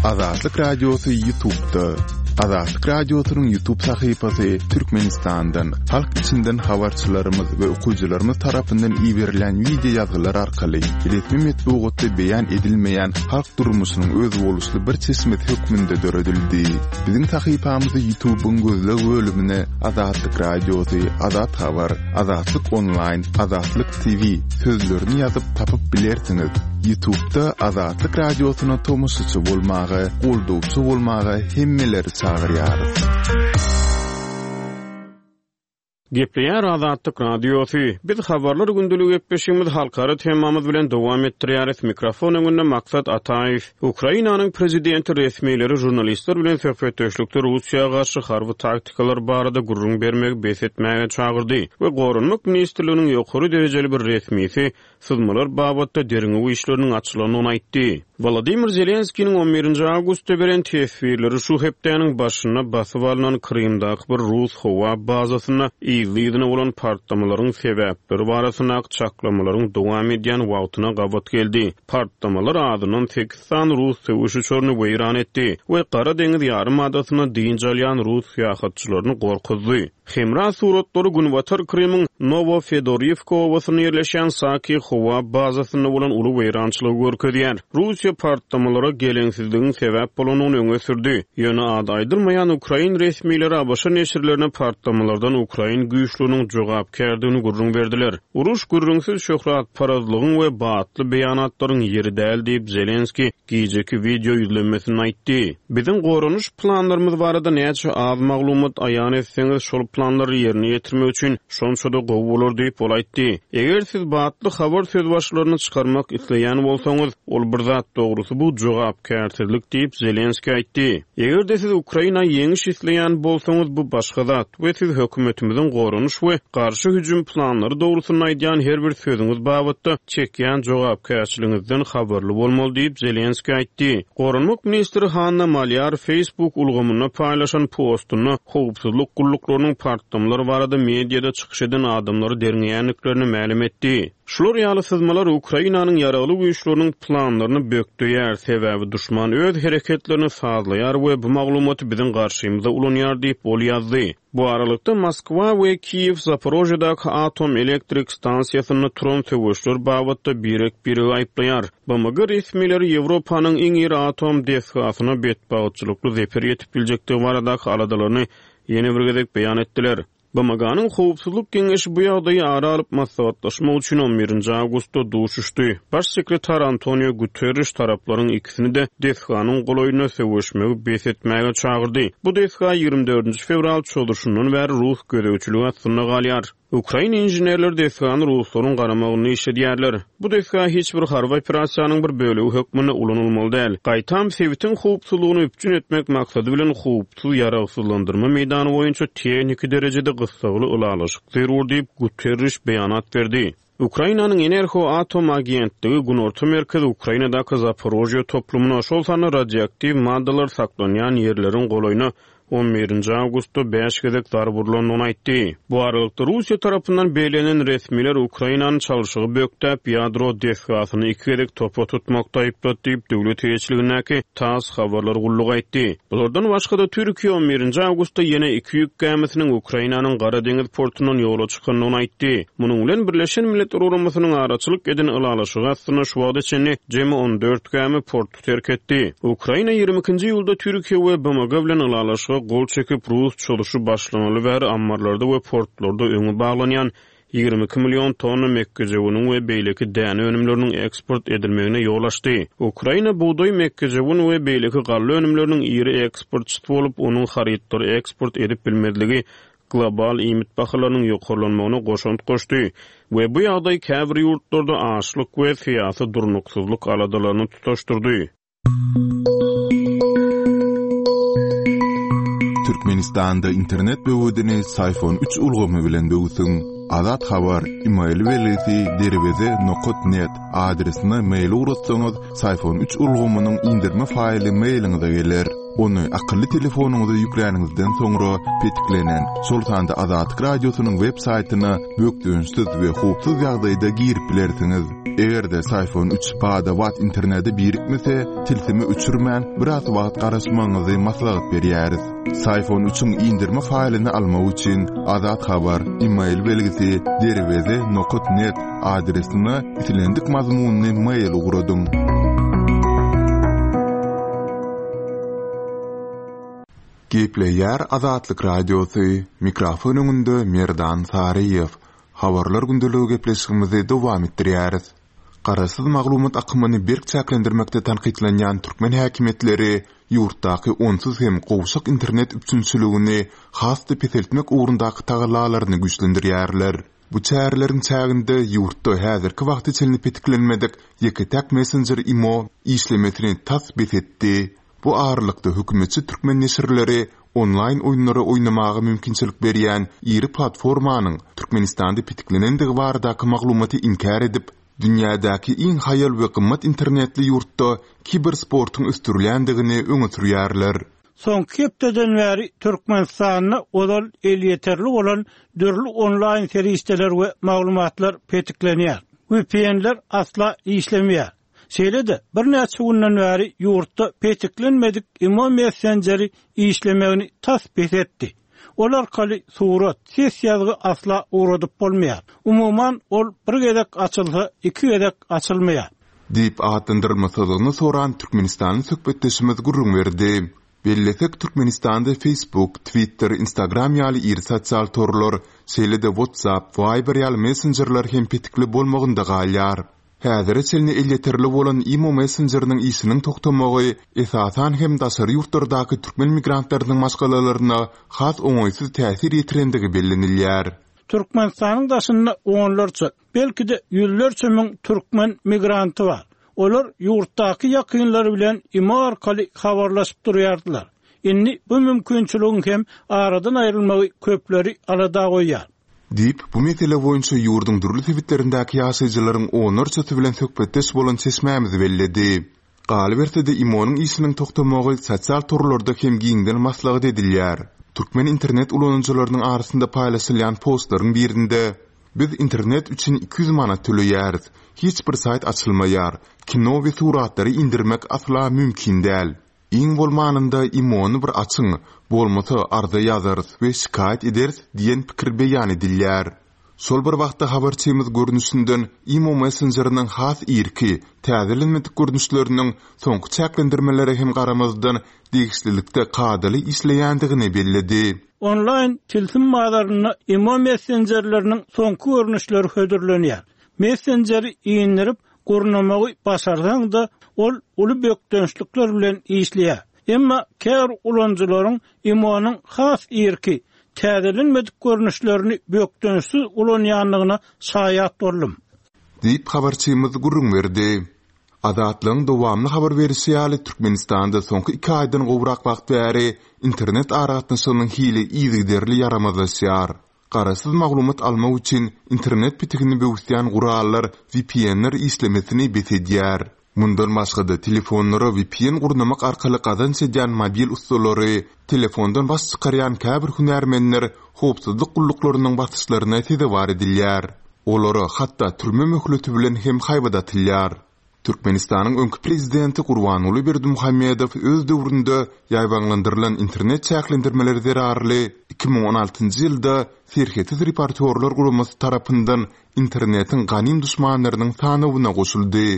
Azatlyk Radiosy Ýutubda. Azatlyk Radiosynyň Ýutub sahypasy Türkmenistandan, halk içinden habarçylarymyz we okyjylarymyz tarapyndan iberilen wideo ýazgylar arkaly resmi metbugatda beýan edilmeýän halk durmuşynyň özboluşly bir çeşmesi hökmünde döredildi. Biziň sahypamyzy Ýutubyň gözleg bölümine Azatlyk Radiosy, Azat Habar, Azatlyk Onlaýn, Azatlyk TV sözlerini ýazyp tapyp bilersiňiz. Ýutubda Azatlyk Radiosyna tomaşaçy bolmaga, goldawçy bolmaga hemmeleri çagyrýarys. Gepleýär Azatlyk Radiosy. Biz Habarlar gündelik gepleşigimizi halkara temamyz bilen dowam etdirýäris. Mikrofon öňünde Maksat Ataýew. Ukrainanyň prezidenti resmileri žurnalistler bilen söhbetdeşlikde Russiýa garşy harby taktikalar barada gürrüň bermegi bes etmäge çagyrdy we Goranmak ministrliginiň ýokary derejeli bir resmisi syzmalar babatda derňew işleriniň açylandygyny aýtdy. Wolodymyr Zelenskiniň on birinji awgustda beren teswirleri şu hepdäniň başynda basyp alnan Krymdaky bir rus howa bazasynda yzly-yzyna bolan partlamalaryň sebäpleri barasyndaky çaklamalaryň dowam edýän wagtyna gabat geldi. Partlamalar azyndan sekiz sany rus söweş uçaryny weýran etdi we Gara deňiz ýarym adasynda dynç alýan rus syýahatçylaryny gorkuzdy. Hemra suratlary günbatar Krymyň Nowofedoriwka obasynda ýerleşýän Saki howa bazasynda bolan uly weýrançylygy görkezýär. Russiýa partlamalara geleňsizligiň sebäp bolandygyny öňe sürdi. Ýöne ady aýdylmaýan ukrain resmileri ABŞ neşirlerine partlamalardan ukrain güýçleriniň jogapkärdigini gürrüň berdiler. Uruş gürrüňsiz şöhratparazlygyň we batly beýanatlaryň ýeri däl diýip, Zelenskiý gijeki wideo ýüzlenmesinde aýtdy. Biziň goranyş planlarymyz barada näçe az maglumat aýan etseňiz, şol planlary ýerine ýetirmek üçin şonça-da gowy bolar diýip, ol aýtdy. Eger siz batly habar sözbaşylaryny çykarmak isleýän bolsaňyz, ol bir zat, dogrusy bu jogapkärsizlik diýip, Zelenskiý aýtdy. Eger-de siz Ukraina ýeňiş isleýän bolsaňyz, bu başga zat we siz hökümetimiziň goranyş we garşy hüjüm planlary dogrusynda aýdýan her bir sözüňiz babatda çekýän jogapkärçiligiňizden habarly bolmaly diýip, Zelenskiý aýtdy. Goranmak ministri Hanna Malýar Facebook ulgamynda paýlaşan postunda howpsuzlyk gulluklarynyň partlamalar barada mediada çykyş eden adamlary derňeýändiklerini mälim etdi. Şular ýaly syzmalar Ukrainanyň Ýaragly Güýçleriniň planlaryny bökdeýär, sebäbi duşman öz hereketlerini sazlaýar we bu maglumaty biziň garşymyza ulanýar diýip, ol ýazdy. Bu aralykda, Moskwa we Kiýew Zaporožýedaky atom elektrik stansiýasynda turan söweşler babatda birek-biregi aýyplaýar. BMG resmileri Ýewropanyň iň iri atom desgasyna betbagtçylykly zeper ýetip biljekdigi baradaky aladalaryny ýene bir gezek beýan etdiler. BMG-niň Howpsuzlyk Geňeşi bu ýagdaýy ara alyp maslahatlaşmak üçin on birinji awgustda duşuşdy. Baş sekretar Antonio Guterriş taraplaryň ikisini-de desganyň golaýynda söweşmegi bes etmäge çagyrdy. Bu desga ýigrimi dördünji fewral çozuşyndan bäri rus gözegçiligi astynda galýar. Ukrain inženerleri desgany ruslaryň garamagynda işledýärler. Bu desga hiç bir harby operasiýanyň bir bölegi hökmünde ulanylmaly däl. Gaýtam, sebitiň howpsuzlygyny üpjün etmek maksady bilen howpsuz ýaragsyzlandyrma meýdany boýunça tehniki derejede gyssagly ylalaşyk zerur diýip, Guterriş beýanat berdi. Ukrainanyň Enerhoatom agentligi Günorta merkezi Ukrainadaky Zaporožýe toplumyna, şol sanda radioaktiw maddalar saklanýan ýerleriň golaýyna on birinji awgustda bäş gezek zarba urlandygyny aýtdy. Bu aralykda, Russiýa tarapyndan bellenen resmiler Ukrainany çalşygy bökdäp, ýadro desgasyny iki gezek topa tutmakda aýyplady diýip, döwlet eýeçiligindäki TASS habarlar gullugy aýtdy. Bulardan başga-da, Türkiýe on birinji awgustda ýene iki ýük gämisiniň Ukrainanyň Gara deňiz portundan ýola çykandygyny aýtdy. Munuň bilen, Birleşen Milletler Guramasynyň araçylyk eden ylalaşygy astynda şu wagta çenli jemi on dört gämi porty terk etdi. Ukraina 22-nji iýulda Türkiýe we BMG bilen ylalaşyga gol çekip, rus çozuşy başlanaly bäri ammarlarda we portlarda öňi baglanýan 22 million tonna mekgejöweniň we beýleki däne önümleriniň eksport edilmegine ýol açdy. Ukraina bugdaý, mekgejöwen we beýleki galla önümleriniň iri eksportçysy bolup, onuň harytlary eksport edip bilmezligi global iýmit bahalarynyň ýokarlanmagyna goşant goşdy we bu ýagdaý käbir ýurtlarda açlyk we syýasy durnuksyzlyk aladalaryny tutaşdyrdy. Türkmenistanda internet böwedini Syfon üç ulgamy bilen böwsüň. Azat Habar, email belgisi derweze nokat net adresine mail ugratsaňyz, Syfon üç ulgamynyň indirme faýly mailiňize geler. Ony akylly telefonyňyza ýükläniňizden soňra petiklenen, şol sanda Azatlyk Radiosynyň web saýtyna bökdençsiz we howpsuz ýagdaýda girip bilersiňiz. Eger-de Syfon 3 bada-bat internete birikmese, tilsimi öçürmän, biraz wagt garaşmagyňyzy maslahat berýäris. Syfon 3-iň indirme faýlyny almak üçin Azat Habar e-mail belgisi derweze nokat net adresine islendik mazmunly mail ugradyň. Gepleýär Azatlyk Radiosy, mikrofon öňünde Merdan Saryýew. Habarlar gündeligi gepleşigimizi dowam etdirýäris. Garaşsyz maglumat akymyny berk çäklendirmekde tankytlanýan türkmen häkimiýetleri ýurtdaky onsuz hem gowşak internet üpjünçiligini has-da peseltmek ugrundaky tagallalaryny güýçlendirýärler. Bu çäreleriň çäginde ýurtda häzirki wagta çenli petiklenmedik ýeke-täk messenjer imo işlemesini tas bes etdi. Bu aralykda hökümetçi türkmen neşirleri onlaýn oýunlary oýnamaga mümkinçilik berýän iri platformanyň Türkmenistanda petiklenendigi baradaky maglumaty inkär edip, dünýädäki iň haýal we gymmat internetli ýurtda kibersportuň ösdürilýändigini öňe sürýärler. Soňky hepdeden bäri Türkmenistanda ozal elýeterli bolan dürli onlaýn serişdeler we maglumatlar petiklenýär. VPN-ler asla işlemeýär. Şeýle-de, birnäçe günden bäri ýurtda petiklenmedik imo messenjeri işlemegini tas bes etdi. Ol arkaly surat, ses ýazgy asla ugradyp bolmaýar. Umuman, ol bir gezek açylsa, iki gezek açylmaýar. Diýip atlandyrylmasyzlygyny soran türkmenistanly söhbetdeşimiz gürrüň berdi. Bellesek, Türkmenistanda Facebook, Twitter, Instagram ýaly iri sosial torlar, şeýle-de WhatsApp, Viber ýaly messenjerler hem petikli bolmagynda galýar. Häzire çenli elýeterli bolan imo messenjeriniň işiniň togtamagy, esasan hem daşary ýurtlardaky türkmen migrantlarynyň maşgalalaryna has oňaýsyz täsir ýetirendigi bellenilýär. Türkmenistanyň daşynda onlarça, belki-de ýüzlerçe müň türkmen migranty bar. Olar ýurtdaky ýakynlary bilen imo arkaly habarlaşyp durýardylar. Indi bu mümkinçiligiň hem aradan aýrylmagy köpleri alada goýýar. Diýip, bu mesele boýunça ýurduň dürli sebitlerindäki ýaşaýjylaryň onlarçasy bilen söhbetdeş bolan çeşmämiz belledi. Galyberse-de, IMO-nyň işiniň togtamagy sosial torlarda hem giňden maslahat edilýär. Türkmen internet ulanyjylarynyň arasynda paýlaşylýan postlaryň birinde, Biz internet üçin 200 manat töleýäris. Hiç bir saýt açylmaýar. Kino we suratlary indirmek asla mümkin däl. Iň bolmanynda IMO-ny bir açyň, bolmasa arza ýazarys we şikaýat ederis diýen pikir beýan edilýär. Şol bir wagtda habarçymyz görnüşinden IMO messenjeriniň has irki, täzelenmedik görnüşleriniň soňky çäklendirmelere hem garamazdan degişlilikde kadaly işleýändigini belledi. Onlaýn tilsim bazarynda IMO messenjerleriniň soňky görnüşleri hödürlenýär. Messenjeri indirip, gurnamagy başarsaň-da, ol uly bökdençlikler bilen işleýär. Emma käbir ulanyjylaryň IMO-nyň has irki, täzelenmedik görnüşlerini bökdençsiz ulanýandygyna şaýat boldum. Diýip, habarçymyz gürrüň berdi. Azatlygyň dowamly habar berişi ýaly, Türkmenistanda soňky iki aýdan gowrak wagt bäri internet aragatnaşygynyň hili yzygiderli ýaramazlaşýar. Garaşsyz maglumat almak üçin internet pitigini böwüsýän gurallar VPN-ler işlemesini bes edýär. Mundan başga-da, telefonlara VPN gurnamak arkaly gazanç edýän mobil ussalary, telefondan baş çykarýan käbir hünärmenler howpsuzlyk gulluklarynyň basyşlaryna sezewar edilýär. Olara hatda türme möhleti bilen hem haýbat atylýar. Türkmenistanyň öňki prezidenti Gurbanguly Berdimuhamedow öz döwründe ýaýbaňlandyrylan internet çäklendirmeleri zerarly 2016-njy ýylda Serhetsiz reportýorlar guramasy tarapyndan internetiň ganym duşmanlarynyň sanawyna goşuldy.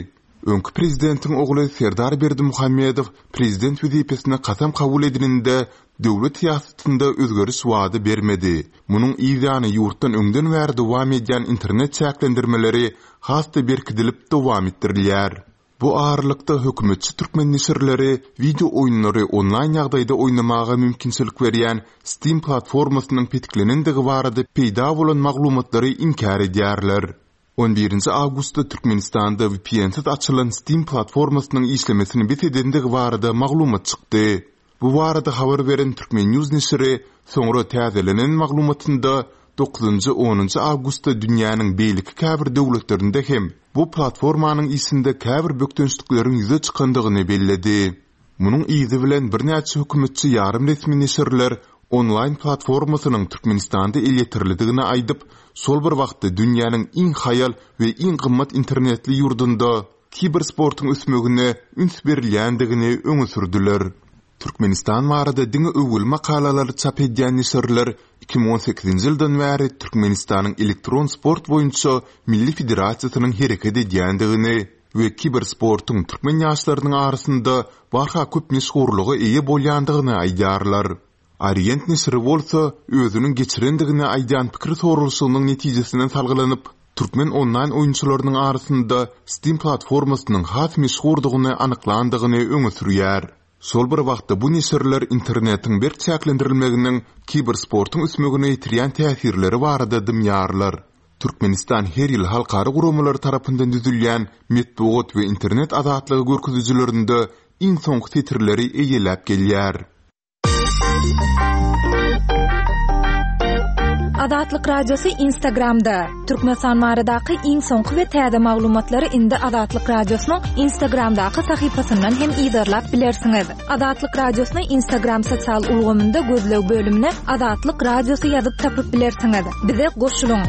Öňki prezidentiň ogly Serdar Berdimuhamedow prezident wezipesine kasam kabul edininde döwlet syýasatynda özgeriş wada bermedi. Munuň yzýany ýurtdan öňden bäri dowam edýän internet çäklendirmeleri has-da berkidilip dowam etdirilýär. Bu aralykda hökümetçi türkmen neşirleri wideo oýunlary onlaýn ýagdaýda oýnamaga mümkinçilik berýän Steam platformasynyň petiklenendigi barada peýda bolan maglumatlary inkär edýärler. On birinji awgustda Türkmenistanda VPN-siz açylan Steam platformasynyň işlemesini bes edendigi barada maglumat çykdy. Bu barada habar beren Turkmennews neşiri soňra täzelenen maglumatynda dokuzynjy, onunjy awgustda dünýäniň beýleki käbir döwletlerinde hem bu platformanyň işinde käbir bökdençlikleriň ýüze çykandygyny belledi. Munuň yzy bilen birnäçe hökümetçi ýarym resmi neşirler onlaýn platformasynyň Türkmenistanda elýeterlidigini aýdyp, şol bir wagtda dünýäniň iň haýal we iň gymmat internetli ýurdunda kibersportuň ösmegine üns berilýändigini öňe sürdüler. Türkmenistan barada diňe öwgüli makalalary çap edýän neşirler 2018-nji ýyldan bäri Türkmenistanyň elektron sport boýunça Milli federasiýasynyň hereket edýändigini we kibersportuň türkmen ýaşlarynyň arasynda barha köp meşhurlyga eýe bolýandygyny aýdýarlar. Orient neşiri bolsa, özüniň geçirendigini aýdýan pikir soralyşygynyň netijesine salgylanyp, türkmen onlaýn oýunçylarynyň arasynda Steam platformasynyň has meşhurdygyny anyklandygyny öňe sürýär. Şol bir wagtda bu neşirler internetiň berk çäklendirilmeginiň kibersportuň ösmegine ýetirýän täsirleri barada dymýarlar. Türkmenistan her ýyl halkara guramalary tarapyndan düzülýän metbugat we internet azatlygy görkezijilerinde iň soňky setirleri eýeläp gelýär. Azatlyk Radiosy Instagramda, Türkmenistan baradaky iň soňky we täze maglumatlary indi Azatlyk Radiosynyň Instagramdaky sahypasyndan hem yzarlap bilersiňiz. Azatlyk Radiosyny Instagram sosial ulgamynda gözleg bölümine Azatlyk Radiosy ýazyp tapyp bilersiňiz. Bize goşulyň!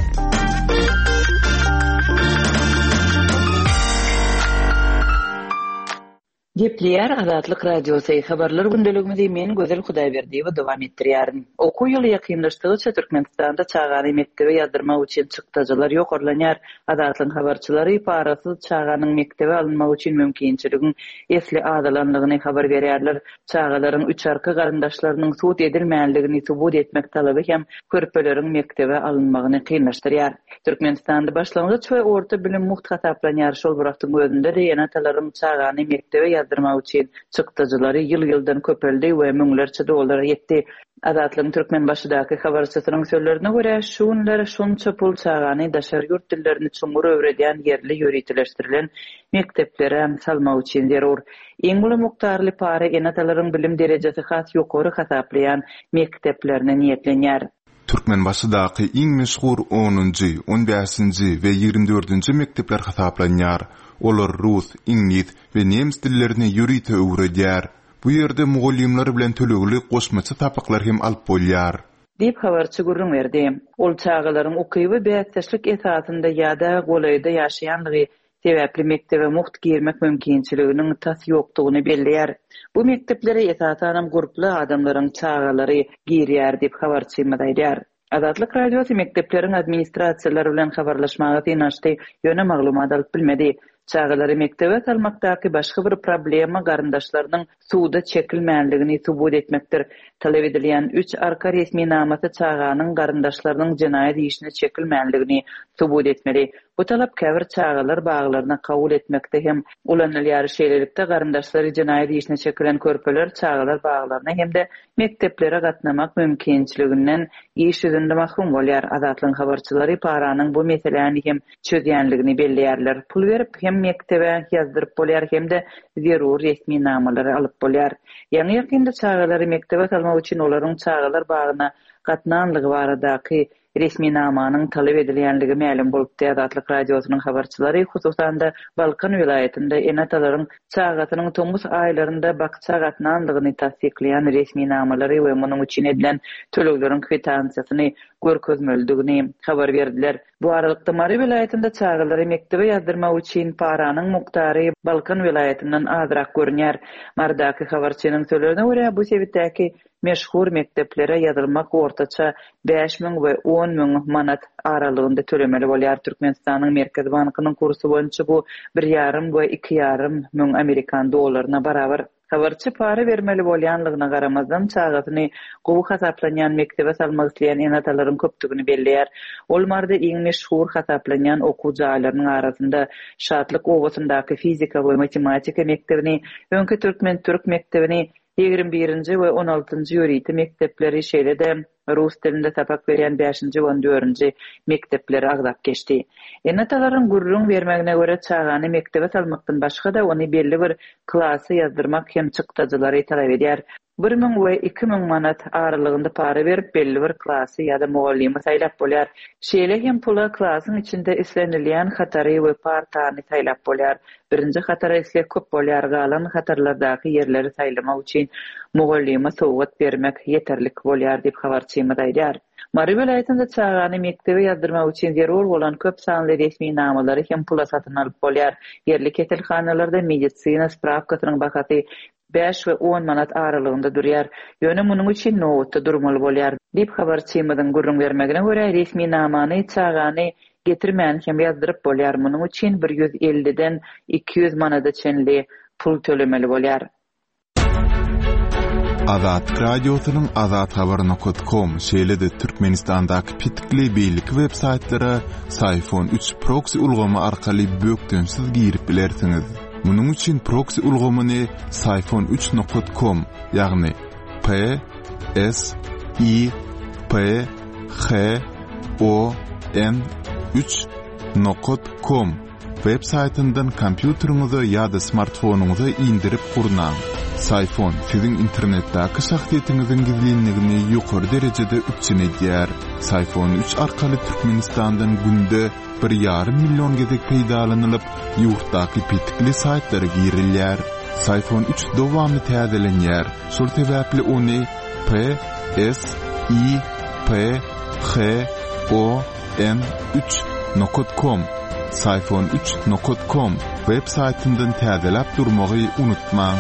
Gepleýär Azatlyk Radiosy, Habarlar gündeligimizi men Gözel Hudaýberdiýewa dowam etdirýärin. Okuw ýyly ýakynlaşdygyça Türkmenistanda çagany mekdebe ýazdyrmak üçin çykdajylar ýokarlanýar. Azatlygyň habarçylary parasyz çaganyň mekdebe alynmagy üçin mümkinçiligiň esli azalanlygyny habar berýärler. Çagalaryň üçarka garyndaşlarynyň sud edilmänligini subut etmek talaby hem körpeleriň mekdebe alynmagyny kynlaşdyrýar. Türkmenistanda başlangyç we orta bilim mugt hasaplanýar, şol bir wagtyň özünde-de ene-atalaryň çagany mekdebe ýazdyrmak üçin çykdajylary ýyl-ýyldan köpeldi we müňlerçe dollara ýetdi. Azatlygyň Türkmenbaşydaky habarçysynyň sözlerine görä, şu günler şunça pul çagany daşary ýurt dillerini çuňňur öwredýän ýerli ýöriteleşdirilen mekdeplere salmak üçin zerur. Iň uly mukdarly para ene-atalaryň bilim derejesi has ýokary hasaplaýan mekdeplerine niýetlenýär. Türkmenbaşydaky iň meşhur onunjy, on bäşinji we 20 dördünji mekdepler hasaplanýar. Olar rus, iňlis we nemes dillerini ýörite öwredýär. Bu ýerde mugallymlar bilen tölegli goşmaça sapaklar hem alyp bolýar. Diýip, habarçy gürrüň berdi. Ol çagalaryň ukyby bäsdeşlik esasynda ýa-da golaýda ýaşaýanlygy sebäpli mekdebe mugt girmek mümkinçiliginiň tas ýokdugyny belleýär. Bu mekdeplere esasanam gurply adamlaryň çagalary girýär diýip, habarçymyz aýdýar. Azatlyk Radiosy mekdepleriň administrasiýalary bilen habarlaşmaga synanyşdy, ýöne maglumat alyp bilmedi. Çagalary mekdebe salmakdaky başga bir problema garyndaşlarynyň suda çekilmänligini subut etmekdir. Talap edilýän üç arka resminamasy çaganyň garyndaşlarynyň jenaýat işine çekilmänligini subut etmeli. Bu talap käbir çagalar baglaryna kabul etmekde hem ulanylýar. Şeýlelikde, garyndaşlary jenaýat işine çekilen körpeler çagalar baglaryna hem-de mekdeplere gatnamak mümkinçiliginden iş ýüzünde mahrum bolýar. Azatlygyň habarçylary paranyň bu meseläni hem çözýänligini belleýärler. Pul berip hem mekdebe ýazdyryp bolýar hem-de zerur resminamalary alyp bolýar. Ýaňy-ýakynda çagalary mekdebe salmak üçin olaryň çagalar bagyna gatnanlygy baradaky resminamanyň talap edilýänligi mälim bolupdy. Azatlyk Radiosynyň habarçylary, hususan-da, Balkan welaýatynda ene-atalaryň çagasynyň tomus aýlarynda bakja gatnanlygyny tassyklaýan resminamalary we munuň üçin edilen tölegleriň kwitansiýasyny görkezmelidigini habar berdiler. Bu aralykda, Mary welaýatynda çagalary mekdebe ýazdyrmak üçin paranyň mukdary Balkan welaýatyndan azrak görünýär. Marydaky habarçynyň sözlerine görä, bu sebitdäki meşhur mekdeplere ýazylmak ortaça 5000 we 10 müň manat aralygynda tölemeli bolýar. Türkmenistanyň Merkezi bankynyň kursy boýunça bu bir ýarym we iki ýarym müň amerikan dollaryna barabar. Habarçy para bermeli bolýanlygyna garamazdan, çagasyny gowy hasaplanýan mekdebe salmak isleýän ene-atalaryň köpdügini belleýär. Ol Maryda iň meşhur hasaplanýan okuw jaýlarynyň arasynda Şatlyk obasyndaky fizika we matematika mekdebini, öňki türkmen-türk mekdebini, 21-nji we on altynjy ýörite mekdepleri, şeýle-de rus dilinde sapak berýän bäşinji we on dördünji mekdepleri agzap geçdi. Ene-atalaryň gürrüň bermegine görä, çagany mekdebe salmakdan başga-da, ony belli bir klasa ýazdyrmak hem çykdajylary talap edýär. 1000 we 2000 manat aralygynda para berip, belli bir klasy ýa-da mugallymy saýlap bolýar. Şeýle hem pula klasyň içinde islenilýän hatary we partany saýlap bolýar. Birinji hatara isleg köp bolýar, galan hatarlardaky ýerleri saýlamak üçin mugallyma sowgat bermek ýeterlik bolýar diýip, habarçymyz aýdýar. Mary welaýatynda çagany mekdebe ýazdyrmak üçin zerur bolan köp sanly resminamalary hem pula satyn alyp bolýar. Ýerli keselhanalarda medisina sprawkasynyň bahasy bäş we on manat aralygynda durýar. Ýöne munuň üçin nobatda durmaly bolýar. Diýip, habarçymyzyň gürrüň bermegine görä, resminamany çagany getirmän hem ýazdyryp bolýar, munuň üçin bir 150-den 200 manada çenli pul tölemeli bolýar. Azatlyk Radiosynyň azathabar nokat kom, şeýle-de Türkmenistandaky petikli beýleki web saýtlara Syfon üç proksi ulgamy arkaly bökdençsiz girip bilersiňiz. Munuň üçin proksi ulgamyny Syfon üç nokat kom, ýagny P S I P H O N üç nokat kom web saýtyndan kompýuteriňize ýa-da smartfonyňyza indirip gurnaň. Syfon siziň internetdäki şahsyýetiňiziň gizlinligini ýokary derejede üpjün edýär. Syfon üç arkaly Türkmenistandan günde bir ýarym million gezek peýdalanylyp, ýurtdaky petikli saýtlara girilýär. Syfon üç dowamly täzelenýär, şol sebäpli ony P, S, I, P, H, O, N, üç nokat kom, Syfon üç nokat kom, web saýtyndan täzeläp durmagy unutmaň.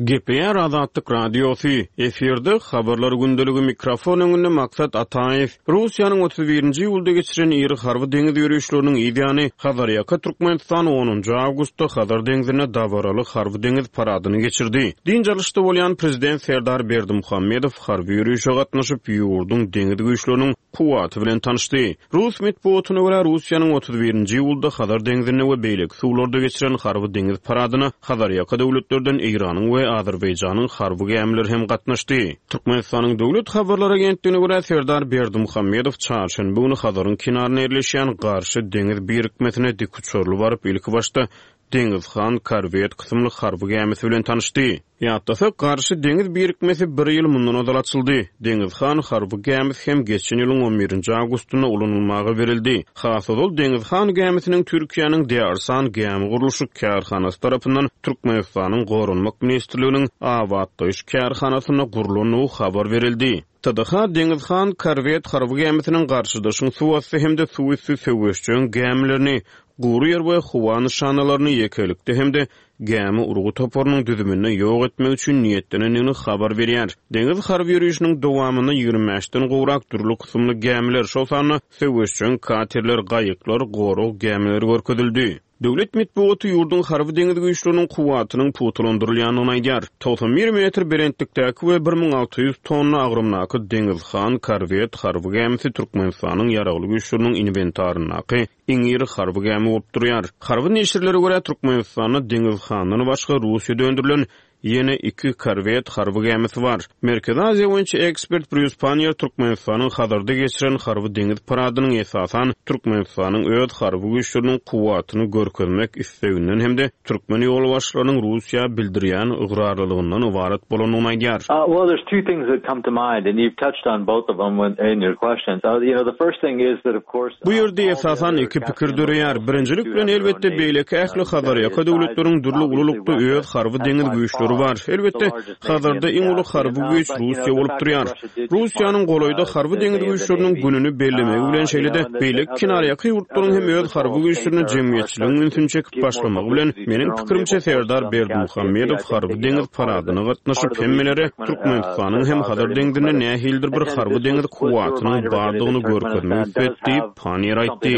Gepleýär Azatlyk Radiosy, Efirde, Habarlar gündeligi, mikrofon öňünde Maksat Ataýew. Russiýanyň 31-nji iýulda geçiren iri harby deňiz ýörişleriniň yz ýany, Hazarýaka Türkmenistan onunjy awgustda Hazar deňzinde dabaraly harby-deňiz paradyny geçirdi. Dynç alyşda bolýan Prezident Serdar Berdimuhamedow harby ýörişe gatnaşyp, ýurduň deňiz güýçleriniň kuwwaty bilen tanyşdy. Rus metbugatyna görä, Russiýanyň 31-nji iýulda Hazar deňzinde we beýleki suwlarda geçiren harby-deňiz paradyna Hazarýaka döwletlerden Eýranyň we Azerbaýjanyň harby gämileri hem gatnaşdy. Türkmenistanyň Döwlet habarlar agentligine görä, Serdar Berdimuhamedow çarşenbe güni Hazaryň kenarynda ýerleşýän Garşy deňiz birikmesine dikuçarly baryp, ilkibaşda Deňiz han korwet kysymly harby gämisi bilen tanyşdy. Ýatlasak, Garşy deňiz birikmesi bir ýyl mundan ozal açyldy. Deňiz han harby gämisi hem geçen ýylyň on birinji awgustynda ulanylmaga berildi. Has ozal Deňiz han gämisiniň Türkiýäniň Dearsan gämi gurluşyk kärhanasy tarapyndan Türkmenistanyň Goranmak ministrliginiň abatlaýyş kärhanasynda gurlandygy habar berildi. TDH Deňiz han korwet harby gämisiniň garşydaşyň suwasty hem-de suwüsti söweşjeň gämilerini, gury ýer we howa nyşanalaryny ýekelikde hem-de gämi urgy toparynyň düzüminde ýok etmek üçin niýetlenendigini habar berýär. Deňiz harby ýörişiniň dowamynda 25-den gowrak dürli kysymly gämiler, şol sanda söweşjeň katerler, gaýyklar, gorag gämileri görkezildi. Döwlet metbugaty ýurduň harby-deňiz güýçleriniň kuwwatynyň pugtalandyrylýandygyny aýdýar. 91 metr belentlikdäki we 1600 tonna agramdaky Deňiz han korwet harby gämisi Türkmenistanyň Ýaragly Güýçleriniň inwentaryndaky iň iri harby gämi bolup durýar. Harby neşirlere görä, Türkmenistanda Deňiz handan başga Russiýada öndürilen Ýene iki korwet harby gämisi bar. Merkezi Aziýa boýunça ekspert Brýus Panniýer Türkmenistanyň Hazarda geçiren harby-deňiz paradynyň esasan Türkmenistanyň öz harby güýçleriniň kuwwatyny görkezmek isleginden hem-de türkmen ýolbaşçylarynyň Russiýa bildirýän ygrarlylygyndan ybarat bolandygyny aýdýar. Well, there's two things that come to mind, and you've touched on both of them in your questions. You know, the first thing is that, of course, Bu ýerde esasan iki pikir döreýär. Birinjilik bilen, elbetde, beýleki ähli Hazarýaka döwletleriň dürli ululykda öz harby-deňiz güýçleri bar. Elbetde, Hazarda iň uly harby güýç Russiýa bolup durýar. Russiýanyň golaýda harby-deňiz güýçleriniň gününi bellemegi bilen, şeýle-de beýleki kenarýaka ýurtlaryň hem öz harby güýçlerine jemgyýetçiligiň ünsüni çekip başlamagy bilen, meniň pikirimçe, Serdar Berdimuhamedow harby-deňiz paradyna gatnaşyp, hemmelere Türkmenistanyň hem Hazar deňzinde nähilidir bir harby-deňiz kuwwatynyň bardygyny görkezmek isledi diýip, Panniýer aýtdy.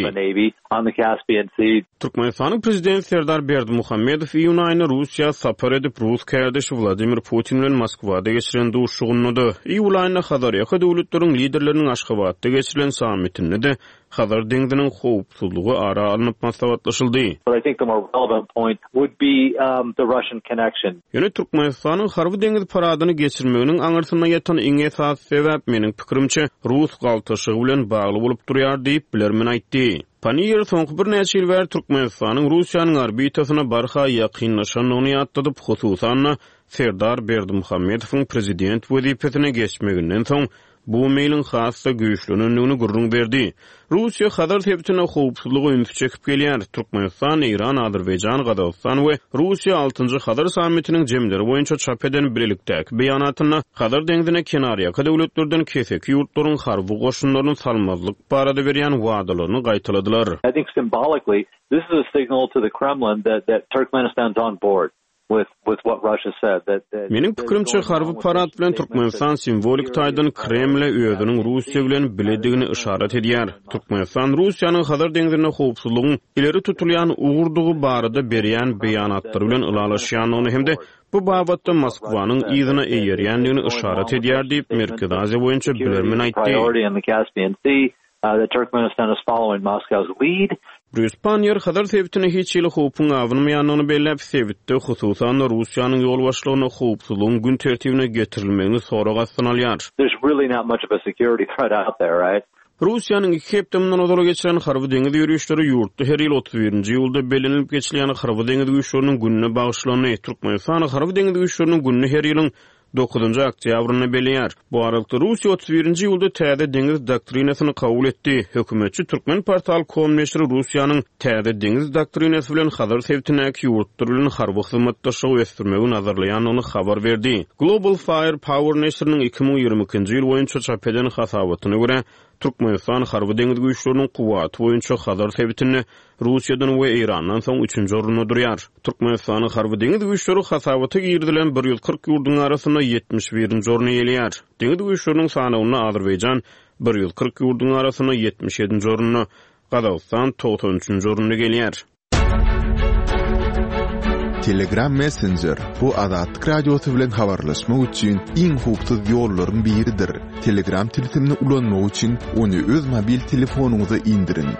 Türkmenistanyň Prezidenti Serdar Berdimuhamedow iýun aýynda Russiýa sapar edip, rus kärdeşi Wladimir Putin bilen Moskwada geçiren duşuşygynda-da, iýul aýynda Hazarýaka döwletleriň liderleriniň Aşgabatda geçirilen sammitinde-de. Hazar deňziniň howpsuzlygy ara alnyp maslahatlaşyldy. But I think the more relevant point would be the Russian connection. Ýöne Türkmenistanyň harby-deňiz paradyny geçirmeginiň aňyrsynda ýatan iň esasy sebäp, meniň pikirimçe, rus galtaşygy bilen bagly bolup durýar diýip, bilermen aýtdy. Panniýer soňky birnäçe ýyl bäri Türkmenistanyň Russiýanyň orbitasyna barha ýakynlaşandygyny ýatladyp, hususan-da, Serdar Berdimuhamedowyň prezident wezipesine geçmeginden soň bu meýliň has-da güýçlenendigini gürrüň berdi. Russiýa Hazar sebitinde howpsuzlyga ünsi çekip gelýär. Türkmenistan, Eýran, Azerbaýjan, Gazagystan we Russiýa altynjy Hazar sammitiniň jemleri boýunça çap eden bilelikdäki beýanatynda Hazar deňzine kenarýaka döwletlerden keseki ýurtlaryň harby goşunlaryny salmazlyk barada berýän wadalaryny gaýtaladylar. I think symbolically this is a signal to the Kremlin that that Turkmenistan's on board. Meniň pikirimçe, harby parad bilen Türkmenistan simwolik taýdan Kremle özüniň Russiýa bilen biledigini yşarat edýär. Türkmenistan Russiýanyň Hazar deňzinde howpsuzlygyň ileri tutulýan ugurdygy barada berýän beýanatlary bilen ylalaşýandygyny hem-de bu babatda Moskwanyň yzyna eýerýändigini yşarat edýär diýip, Merkezi Aziýa boýunça bilermen aýtdy. That Turkmenistan is following Moscow's lead. Brýus Panniýer Hazar sebitine hiç hili howpuň abanmaýandygyny belläp, sebitde, hususan-da, Russiýanyň ýolbaşçylygynda howpsuzlygyň gün tertibine getirilmegini sorag astyna alýar. There's really not much of a security threat out there, right? Russiýanyň iki hepde mundan ozal geçiren harby-deňiz ýörişleri ýurtda her ýyl 31-nji iýulda bellenilip geçilýän Harby-deňiz güýçleriniň gününe bagyşlandy. Türkmenistan Harby-deňiz güýçleriniň gününi her ýylyň Dokuzynjy oktýabrynda belleýär. Bu aralykda Russiýa 31-nji iýulda täze deňiz doktrinasyny kabul etdi. Hökümetçi Turkmenportal. Com neşiri Russiýanyň täze deňiz doktrinasy bilen Hazar sebitindäki ýurtlar bilen harby hyzmatdaşlygy ösdürmegi nazarlaýandygyny habar berdi. Global Fire Power neşiriniň 2022-nji ýyl boýunça çap eden hasabatyna görä, Türkmenistan harby-deňiz güýçleriniň kuwwaty boýunça Hazar sebitinde Russiýadan we Eýrandan soň üçünji orunda durýar. Türkmenistanyň Harby-deňiz güýçleri hasabata girizilen 140 ýurduň arasynda 71-nji orny eýeleýär. Deňiz güýçleriniň sanawynda Azerbaýjan 140 ýurduň arasynda 77-nji orunda, Gazagystan 93-nji orunda gelýär. Telegram Messenger, bu Azatlyk Radiosy bilen habarlaşmak üçin iň howpsuz ýollaryň biridir. Telegram tilsimini ulanmak üçin ony öz mobil telefonyňyza indiriň.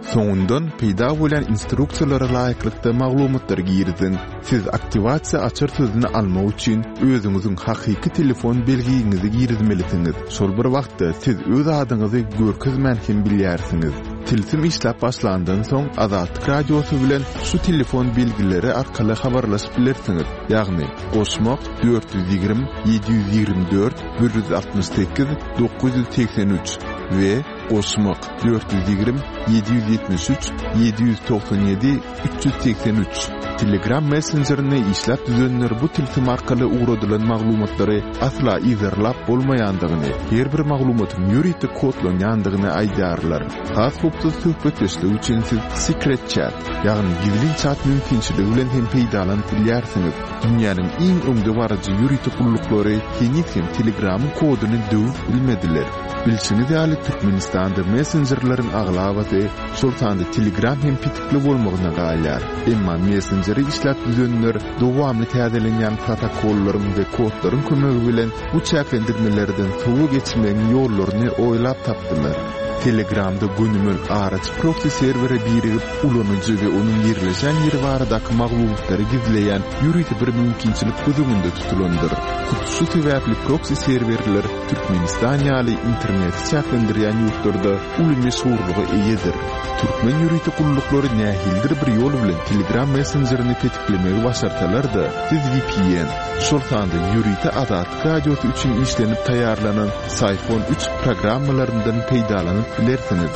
Soňundan peýda bolýan instruksiýalara laýyklykda maglumatlary giriziň. Siz aktiwasiýa açar sözüni almak üçin özüňiziň hakyky telefon belgiňizi girizmelisiňiz. Şol bir wagtda siz öz adyňyzy görkezmän hem bilýärsiňiz. Tilsim işläp başlandan soň Azatlyk Radiosy bilen şu telefon belgileri arkaly habarlaşyp bilersiňiz, ýagny, goşmak, 420 724 168 983 we goşmak, 420 773 797 383. Telegram messenjerini işläp düzenler bu tilsim arkaly ugradylan maglumatlary asla yzarlap bolmaýandygyny, her bir maglumatyň ýörite kodlanýandygyny aýdýarlar. Has howpsuz söhbetdeşlik üçin siz Secret Chat, ýagny gizlin çat mümkinçiligi bilen hem peýdalanyp bilýärsiňiz. Dünýäniň iň öňdebaryjy ýörite gulluklary heniz hem Telegramyň koduny döwüp bilmediler. Bilşiňiz ýaly, Türkmenistanda messenjerleriň aglabasy, şol sanda Telegram hem petikli bolmagyna galýar. Emma messenjeri işläp düzenler dowamly täzelenýän protokollaryň we kodlaryň kömegi bilen bu çäklendirmelerden sowa geçmegiň ýollaryny oýlap tapdylar. Telegramda gönümel araçy proksi serwere birigip, ulanyjy we onuň ýerleşen ýeri baradaky maglumatlary gizleýän ýörite bir mümkinçilik göz öňünde tutulandyr. Hut şu sebäpli proksi serwerler Türkmenistan ýaly interneti çäklendirýän ýurtlarda uly meşhurlyga eýedir. Türkmen ýörite gulluklary nähilidir bir ýol bilen Telegram messenjerini petiklemegi başarsalar-da, siz vpn, şol sanda ýörite Azatlyk Radiosy üçin işlenip taýýarlanan Syphon üç programmalaryndan peýdalanyp bilersiňiz.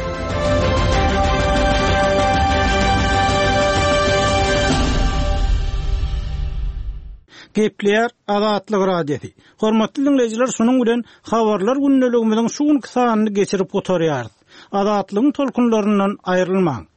Gepleýär Azatlyk Radiosy. Hormatly diňleýjiler şunuň bilen Habarlar gündeligimiziň şu günki sanyny geçirip gutarýarys. Azatlygyň tolkunlaryndan aýrylmaň!